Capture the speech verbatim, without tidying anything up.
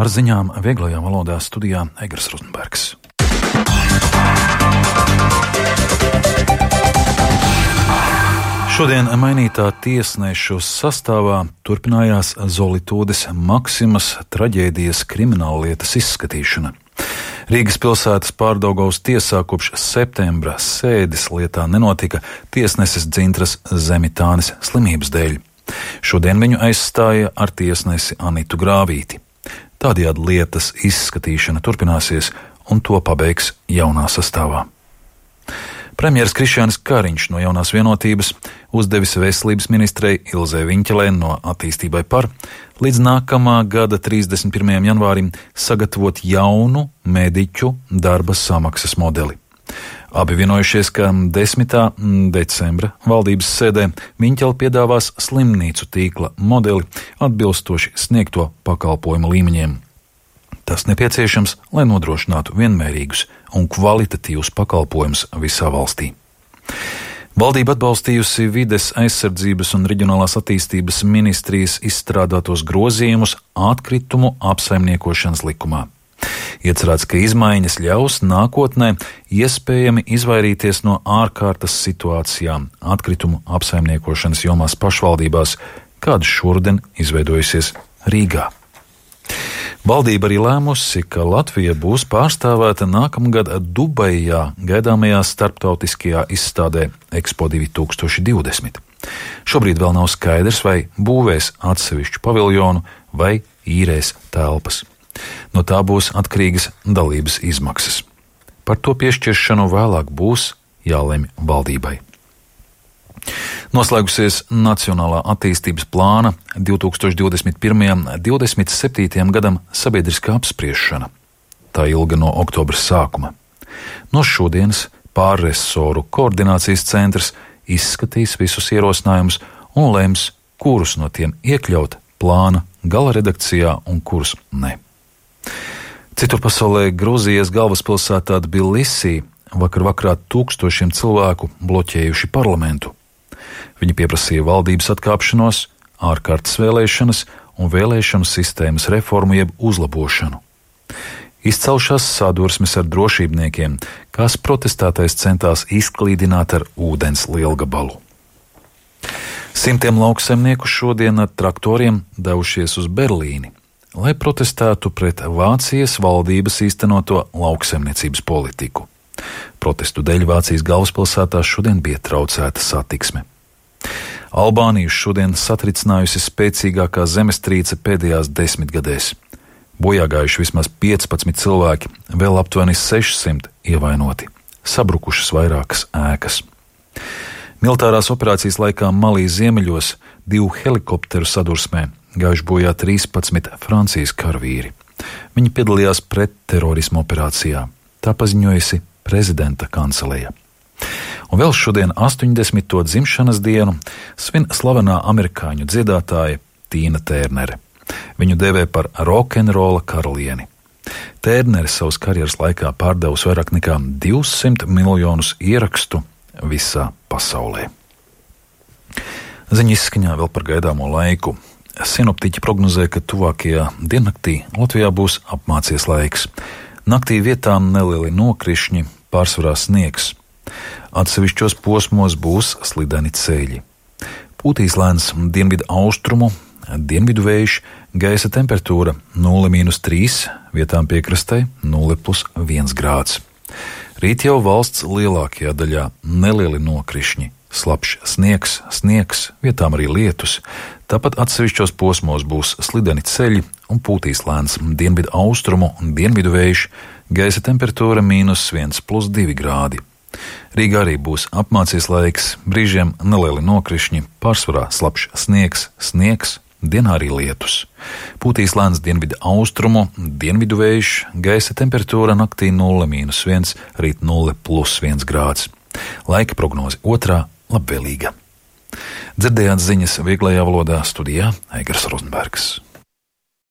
Ar ziņām vieglajā valodā studijā Egers Rozenbergs. Šodien mainītā tiesnešu sastāvā turpinājās Zolitūdes Maksimas traģēdijas krimināllietas izskatīšana. Rīgas pilsētas Pārdaugavas tiesā kopš septembra sēdes lietā nenotika tiesneses Dzintras Zemitānes slimības dēļ. Šodien viņu aizstāja ar tiesnesi Anitu Grāvīti. Tādējādi lietas izskatīšana turpināsies un to pabeigs jaunā sastāvā. Premjeras Krišjānis Kariņš no Jaunās Vienotības uzdevis veselības ministrei Ilzei Viņķelē no Attīstībai par līdz nākamā gada trīsdesmit pirmajam janvārim sagatavot jaunu mediķu darba samaksas modeli. Abi vienojušies, ka desmitā decembra valdības sēdē Viņķele piedāvās slimnīcu tīkla modeli atbilstoši sniegto pakalpojumu līmeņiem. Tas nepieciešams, lai nodrošinātu vienmērīgus un kvalitatīvus pakalpojumus visā valstī. Valdība atbalstījusi vides aizsardzības un reģionālās attīstības ministrijas izstrādātos grozījumus atkritumu apsaimniekošanas likumā. Iecerēts, ka izmaiņas ļaus nākotnē iespējami izvairīties no ārkārtas situācijām atkritumu apsaimniekošanas jomās pašvaldībās, kāda šodien izveidojusies Rīgā. Valdība arī lēmusi, ka Latvija būs pārstāvēta nākamgad Dubajā gaidāmajā starptautiskajā izstādē Expo divi tūkstoši divdesmit. Šobrīd vēl nav skaidrs, vai būvēs atsevišķu paviljonu vai īrēs telpas. No tā būs atkarīgas dalības izmaksas. Par to piešķiršanu vēlāk būs jālemj valdībai. Noslēgusies Nacionālā attīstības plāna divi tūkstoši divdesmit pirmajam līdz divdesmit septītajam gadam sabiedriskā apspriešana. Tā ilga no oktobra sākuma. No šodienas pārresoru koordinācijas centrs izskatīs visus ierosinājumus un lems, kurus no tiem iekļaut plāna gala redakcijā un kurus ne. Citur pasaulē Grūzijas galvaspilsētā Tbilisī vakar vakarā tūkstošiem cilvēku bloķējuši parlamentu. Viņi pieprasīja valdības atkāpšanos, ārkārtas vēlēšanas un vēlēšanu sistēmas reformu jeb uzlabošanu. Izcelšās sadursmes ar drošībniekiem, kas protestētais centās izklīdināt ar ūdens lielgabalu. Simtiem lauksaimnieku šodien ar traktoriem devušies uz Berlīni, lai protestētu pret Vācijas valdības īstenoto lauksaimniecības politiku. Protestu dēļ Vācijas galvaspilsētā šodien bija traucēta satiksme. Albāniju šodien satricinājusi spēcīgākā zemestrīce pēdējās desmitgadēs. Bojāgājuši vismaz piecpadsmit cilvēki, vēl aptuveni sešsimt ievainoti. Sabrukušas vairākas ēkas. Militārās operācijas laikā Malī ziemeļos divu helikopteru sadursmē gājuši bojā trīspadsmit Francijas karavīri. Viņi piedalījās pretterorismu operācijā. Tā paziņojusi prezidenta kanceleja. Un vēl šodien astoņdesmito dzimšanas dienu svin slavenā amerikāņu dziedātāja Tīna Tērnere. Viņu dēvē par rokenrola karalieni. Tērnere savas karjeras laikā pārdevusi vairāk nekā divsimt miljonus ierakstu visā pasaulē. Ziņa izskaņā vēl par gaidāmo laiku. Sinoptiķi prognozē, ka tuvākajā diennaktī Latvijā būs apmācies laiks. Naktī vietām nelieli nokrišņi, pārsvarā sniegs. Atsevišķos posmos būs slideni ceļi. Pūtīs lēns dienvidu austrumu, dienvidu vējš, gaisa temperatūra nulle mīnus trīs, vietām piekrastē nulle plus viens grāds. Rīt jau valsts lielākajā daļā nelieli nokrišņi, slapjš sniegs, sniegs, vietām arī lietus. Tāpat atsevišķos posmos būs slideni ceļi un pūtīs lēns dienvidu austrumu un dienvidu vējš, gaisa temperatūra mīnus viens plus divi grādi. Rīgā arī būs apmācies laiks, brīžiem nelieli nokrišņi, pārsvarā slapjš sniegs, sniegs, dienā arī lietus. Pūtīs lēns dienvidu austrumu, dienvidu vējš, gaisa temperatūra naktī nulle mīnus viens, rīt nulle plus viens grāds. Laika prognoze otrā labvēlīga. Dzirdējāt ziņas vieglajā valodā studijā Egers Rozenbergs.